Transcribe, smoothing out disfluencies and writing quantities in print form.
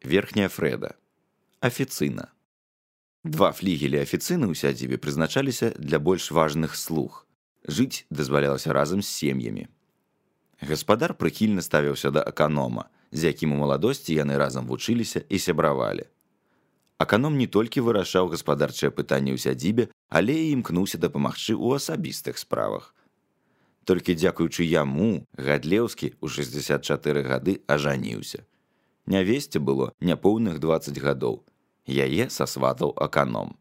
Верхняя Фрэда. Афіцына. Два флігелі афіцыны ў сядзібе прызначаліся для больш важных слуг. Жыць дазвалялася разам з сем'ямі. Гаспадар прыхільна ставіўся да аканома, з якім у маладосці яны разам вучыліся і сябравалі. Аканом не толькі вырашаў гаспадарчыя пытанні ў сядзібе, але і імкнуўся дапамагчы ў асабістых справах. Толькі дзякуючы яму Гадлеўскі ў 64 гады ажаніўся. Нявесце было няпоўных 20 гадоў. Яе сасватаў аканом.